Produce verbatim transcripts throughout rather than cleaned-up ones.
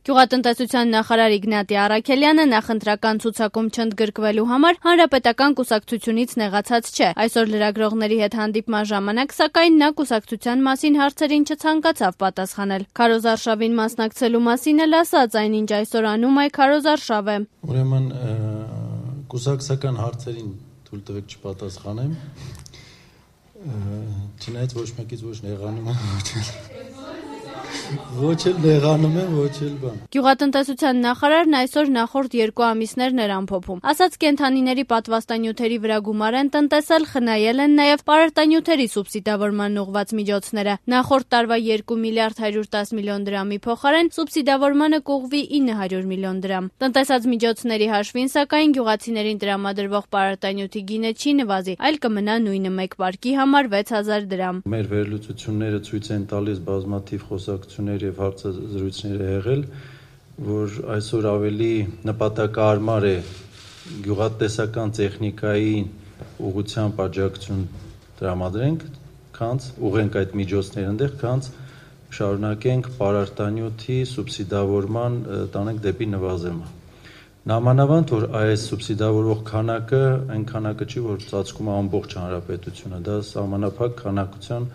Գյուղատնտեսության նախարար Իգնատի Առաքելյանը նախընտրական ցուցակում չընդգրկվելու համար հանրապետական կուսակցությունից նեղացած չէ։ Այսօր լրագրողների հետ հանդիպման ժամանակ, սակայն նա կուսակցության մասին հարցերին չցանկացավ պատասխանել։ Քարոզարշավին մասնակցելու մասին էլ ասաց, այնինչ այսօր անում է քարոզարշավ է։ Ուրեմն կուսակցական հարցերին թույլ տվեք չպատասխանեմ։ Չնայած ոչ մեկից ոչ նեղանում եմ, ոչ էլ նեղանում եմ, ոչ էլ բան։ Գյուղատնտեսության նախարարն այսօր նախորդ երկու ամիսներն էր ամփոփում։ Ասաց կենդանիների պատվաստանյութերի վրա գումար են տնտեսել, խնայել են նաև պարարտանյութերի սուբսիդավորման ուղղված միջոցները։ Նախորդ տարվա երկու միլիարդ հարյուր տասը միլիոն դրամի փոխարեն սուբսիդավորմանը կուղղվի ինը հարյուր միլիոն դրամ։ Տնտեսած միջոցների հաշվին, սակայն գյուղացիներին տրամադրվող պարարտանյութի գինը չի նվազի, այլ կմնա նույնը մեկ պարկի համար վեց հազար դրամ։ Մեր վերլուծությունները ցույց են տալիս բազմաթիվ խոսակցություններ եւ հարցազրույցներ է եղել, որ այսօր ավելի նպատակահարմար է գյուղատնտեսական տեխնիկայի ուղղությամբ աջակցություն տրամադրենք, քանց ուղենք այդ միջոցները այնտեղ, քանց շարունակենք պարարտանյութի սուբսիդավորման տանենք դեպի նվազումը։ Նամանավանդ, որ այս սուբսիդավորող քանակը այն քանակը չի, որ ծածկում է ամբողջ հանրապետությունը, դա սահմանափակ քանակության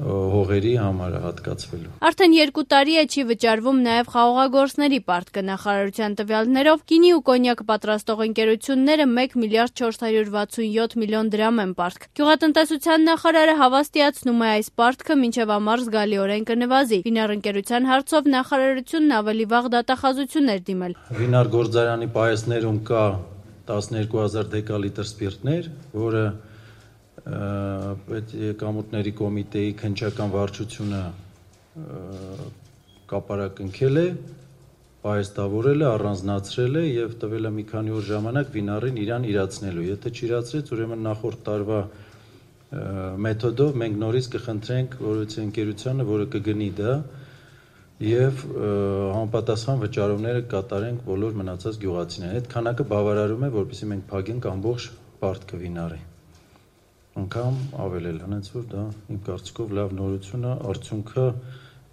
հողերի համար հատկացվելու։ Արդեն երկու տարի է չի վճարվում նաև խաղողագործների պարտքը։ Նախարարության տվյալներով գինի ու կոնյակ պատրաստող ընկերությունները մեկ միլիարդ չորս հարյուր վաթսունյոթ միլիոն դրամ են պարտք։ Գյուղատնտեսության նախարարը հավաստիացնում է այս պարտքը մինչև ամառ զգալիորեն կնվազի։ Վինար ընկերության հարցով նախարարությունն ավելի վաղ դատախազություն էր դիմել։ Վինար գործարանի պահեստներում կա տասներկու հազար դեկալիտր սպիրտներ, որը պետեկամուտների կոմիտեի քննչական վարչությունը կապարակնքել է, պահեստավորել է, առանձնացրել է եւ տվել է մի քանի օր ժամանակ վինարին իրան իրացնելու։ Եթե չիրացրեց, ուրեմն նախորդ տարվա մեթոդով մենք նորից կխնդրենք որևէ ընկերությանը, որը կգնի դա եւ համապատասխան վճարումները կատարենք բոլոր մնացած գյուղացիներին։ Այդ քանակը բավարարում է, որպեսզի մենք փակենք ամբողջ պարտքը վինարի։ Անգամ ավել էլ, հենց որ դա իմ կարծիքով լավ նորություն է, արդյունքը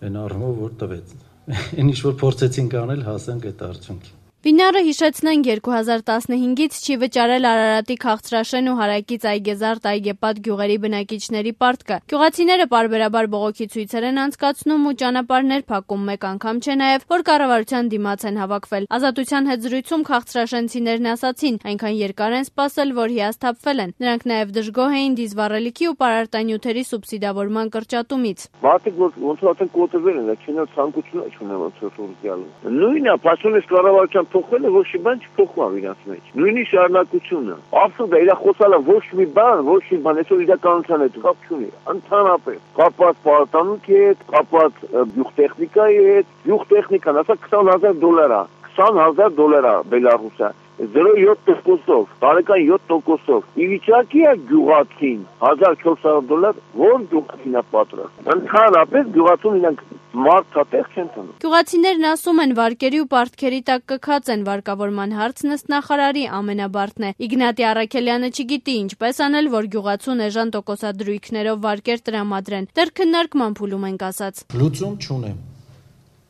այն առումով, որ տվեց։ Այն ինչ որ փորձեցինք անել, հասանք այդ արդյունքի։ Վինարը, հիշեցնենք, երկու հազար տասնհինգից չի վճարել Արարատի Քաղցրաշեն ու Հարակից Այգեզարդ Այգեպատ գյուղերի բնակիչների պարտքը։ Գյուղացիները պարբերաբար բողոքի ցույցեր են անցկացնում ու ճանապարհներ փակում, մեկ անգամ չէ նաև, որ կառավարության դիմաց են հավաքվել։ Ազատության հետ զրույցում քաղցրաշենցիներն ասացին, այնքան երկար են սպասել, որ հիասթափվել են։ Նրանք նաև դժգոհ էին դիզվառելիքի ու պարարտանյութերի սուբսիդավորման կրճատումից։ Մարդիկ ոնց որ կոտրվել են, չնայած ցանկություն չունեն ոնց որ գալու։ Նույնը պաշտոնից կառավարության փոխվել է, ոչ մի բան չփոխվում իրաց մեջ։ Նույնիսկ շարունակությունը։ Absolուտ է, իր խոսալը ոչ մի բան, ոչ մի բան, այսօր իրականության հետ կապ չունի։ Ընդհանրապես կապված պարտանուքի հետ, կապված գյուղտեխնիկայի հետ, գյուղտեխնիկան ասա քսան հազար դոլար է, քսան հազար դոլար է Բելարուսը։ զրո յոթ տոկոսով, տարեկան յոթ տոկոսով։ Իվիճակի է գյուղացին հազար չորս հարյուր դոլար, որ գյուղացին է պատրաստ։ Ընդհանրապես գյուղացուն իրանք մարդատեղ չեն տանում։ Գյուղացիներն ասում են, վարկերի ու պարտքերի տակ կքած են, վարկավորման հարցն ըստ նախարարի ամենաբարդն է։ Իգնատի Առաքելյանը չգիտի ինչպես անել, որ գյուղացուն էժան տոկոսադրույքներով վարկեր տրամադրեն։ Դեռ քննարկման փուլում ենք ասած։ Լուծում չունեմ։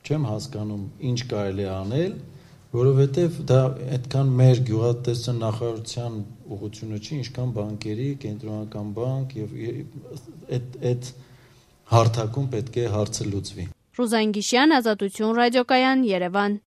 Չեմ հասկանում ինչ կարելի է անել, որովհետև դա այդքան մեր գյուղատնտեսության նախարարության ուղղությունը չի, ինչքան բանկերի, կենտրոնական բանկ եւ այդ այդ հարթակում պետք է հարցը լուծվի։ Ռուզան Գիշյան, Ազատություն ռադիոկայան, Երևան։